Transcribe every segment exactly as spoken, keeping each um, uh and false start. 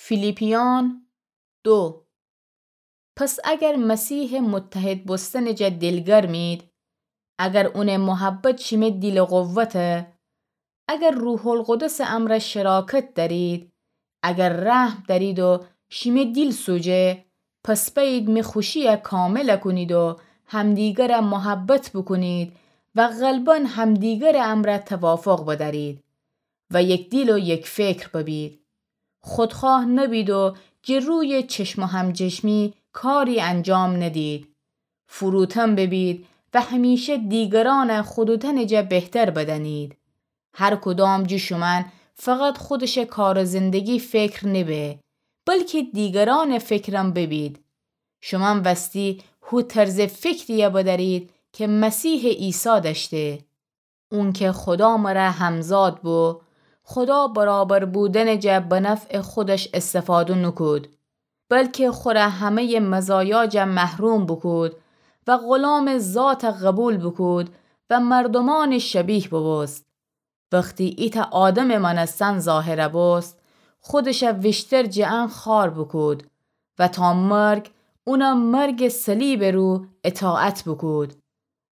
فیلیپیان دو. پس اگر مسیحٚ متحد بوستنٚ جا دیلگرمید، اگر اونٚ محبت شیمه دیلٚ قوته، اگر روح‌القدسٚ امرأ شراکت دأرید، اگر رحم دأرید و شیمه دیل سوجه، پس بأیید می خوشی‌یه کامل کونید و همدیگره محبت بوکونید و قلبأن همدیگرٚ امرأ توافق بدأرید و یک دیل و یک فکر ببید. خودخواه نبید و جٚه رویٚ چشم و همچشمی کاری انجام ندید. فروتن ببید و همیشه دیگرأنه خودوتأنٚ جا بهتر بدأنید. هر کدام جٚه شومأن فقط خودشٚ کار و زندگی فکر نبه، بلکی دیگرأنٚ فکرم ببید. شومأن وستی هو طرزٚ فکری‌یه بدأرید کی مسیحٚ عیسی دأشته. اونکه خودا مره همزاد بو، خودا برابر بودنٚ جا به نفعٚ خودش استفاده نوکود، بلکی خوره همه‌یٚ مزایا جا محروم بوکود و غلامٚ ذات قبول بوکود و مردومأنٚ شبیه بوبوست. وختی ایتأ آدمٚ مأنستن ظاهر بوست، خودش ویشتر جٚه ان خوار بوکود و تا مرگ، اونٚ مرگٚ صلیبٚ رو اطاعت بوکود.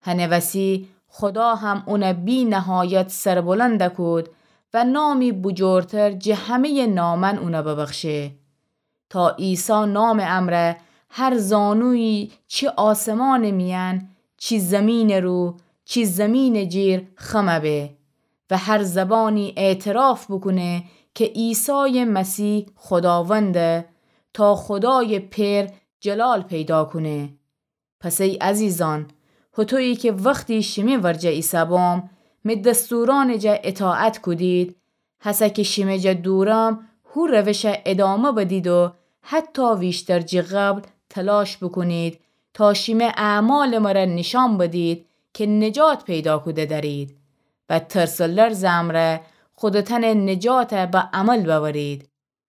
هنٚ وسی خودا هم اون بی‌نهایت سربلند کود و نامی بوجورتر جٚه همه‌یٚ نامأن اون ببخشه، تا عیسی نامٚ امرأ هر زانویی چی آسمانٚ میأن، چی زیمینٚ رو، چی زیمینٚ جیر خم به و هر زبانی اعتراف بوکونه کی عیسایٚ مسیح خوداونده، تا خودایٚ پئر جلال پیدا کونه. پس ای عزیزأن، هوطویی کی وختی شیمی ورجه ایسه‌بوم، می دستورأنٚ جا اطاعت کودید، هسه کی شیمی جا دورم، هو روش ادامه بدید و حتی ویشتر جٚه قبل تلاش بوکونید تا شیمی اعمالٚ مره نیشأن بدید کی نجات پیدا کوده دأرید و ترس و لرزٚ امرأ خودتأنٚ نجات به عمل بأورید.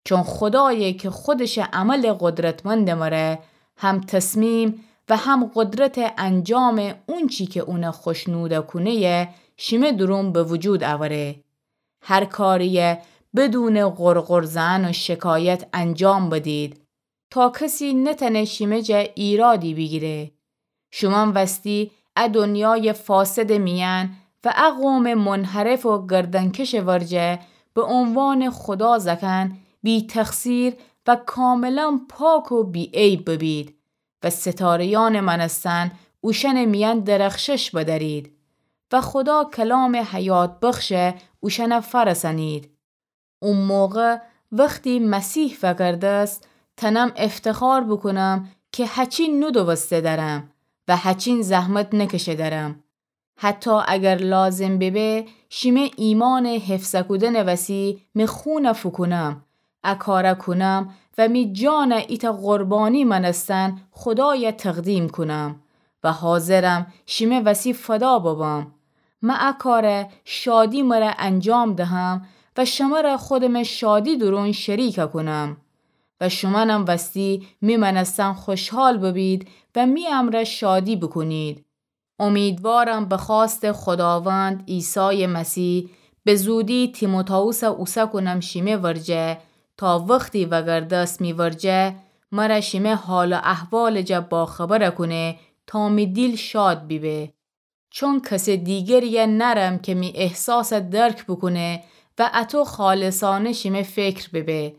چون خودایی کی خودشٚ عملٚ قدرتمندٚ مره هم تصمیم و هم قدرتٚ انجامٚ اونچی کی اون خوشنود کونه‌یه شیمی دورون به وجود اوره. هر کاریی بدونٚ غرغر زئن و شکایت انجام بدید، تا کسی نتأنه شیمی جا ایرادی بیگیره. شومأن وستی ا دنیایٚ فاسدٚ میأن و ا قومٚ منحرف و گردنکشٚ ورجه به عنوانٚ خودا زأکأن بی‌تقصیر و کاملا پاک و بی‌عیب ببید و ستاره‌یأنٚ مأنستن اوشأنٚ میأن درخشش بدأرید و خودا کلامٚ حیات بخش اوشأن فأرسأنید. او موقع وختی مسیح وأگردست، تأنم افتخار بوکونم کی هچین نودوسته دأرم و هچین زحمت نکشه دأرم. حتی اگر لازم ببه، شیمی ایمأنٚ حفظ کودنٚ وسی می خون فوکونم، ا کار کونم و می جان ایتأ قربانی مأنستن خودای تقدیم کونم و حاضرم شیمی وسی فدا ببم. من ا کار شادی مره انجام دهم و شمر خودم شادی دورون شریک کونم و شومأنم وستی می مأنستن خوشحال ببید و می امرأ شادی بوکونید. امیدوارم به خواستٚ خوداوند عیسایٚ مسیح به زودی تیموتائوس اوسه کونم شیمی ورجه، تا وختی وأگردست می ورجه، مر شیمی حال و احوالٚ جا باخبر کونه، تا می دیل شاد بیبه. چون کسٚ دیگری نأرم کی می احساس درک بوکونه و اطو خالصأنه شیمی فکر ببه.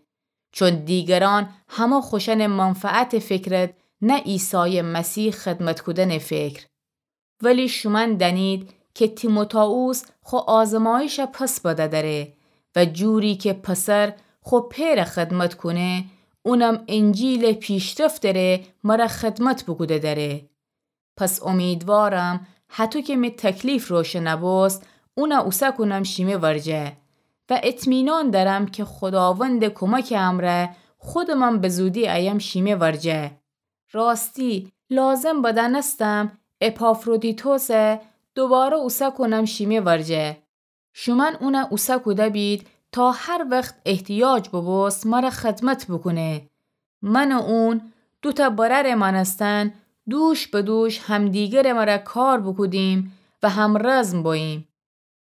چون دیگرأن همه خوشأنٚ منفعتٚ فکرد، نه عیسایٚ مسیح خدمت کودنٚ فکر. ولی شومأن دأنید کی تیموتائوس خو آزمایش پس بده دأره و جوری کی پسر خو پئر خدمت کونه، اونم انجیلٚ پیشرفتٚ ره مر خدمت بوکوده دأره. پس امیدوارم هطو کی می تکلیف روشن بوست، اون اوسه کونم شیمی ورجه و اطمینان دأرم کی خوداوندٚ کمکٚ امرأ خودمم به زودی ایم شیمی ورجه. راستی، لازم بدأنستم اپافرودیتوس دوباره اوسه کونم شیمی ورجه. شومأن اون اوسه کوده بید تا هر وخت احتیاج ببوست مر خدمت بوکونه. من و اون، دوتأ برأرٚ مأنستن، دوش به دوش همدیگرٚ مر کار بوکودیم و همرزم بوییم.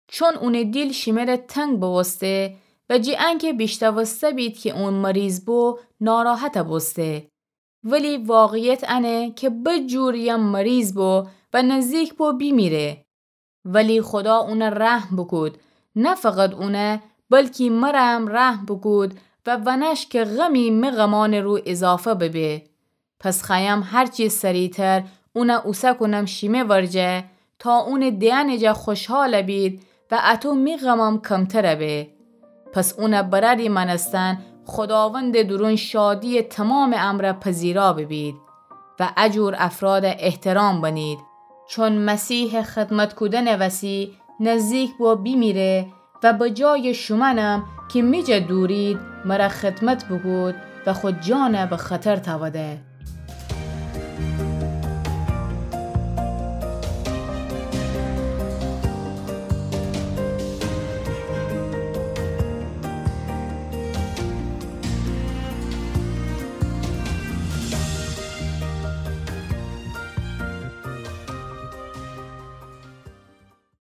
چون اونٚ دیل شیمی ره تنگ بوسته، و جی انکه بیشتوسته بید کی اون مریض بو، ناراحت بوسته. ولی واقعیت انه کی بجور یم مریض بو و نزدیک بو بیمیره. ولی خودا اونه رحم بوکود، نه فقط اونه، بلکی مرم رحم بوکود و ونش کی غمی می غمأنٚ رو اضافه ببه. پس خوأیم هرچی سریعتر اونه اوسه کونم شیمه ورجه، تا اونٚ دئنٚ جا خوشحال بید و اطو می غمم کمتر به. پس اونه برأری مأنستن خوداوندٚ دورون شادیٚ تومامٚ امرأ پذیرا ببید و اجور افراد احترام بنید. چون مسیحٚ خدمت کودنٚ وسی نزدیک بو بیمیره و به جایٚ شومأنم کی می جا دورید، مره خدمت بوکود و خو جان به خطر تأوده.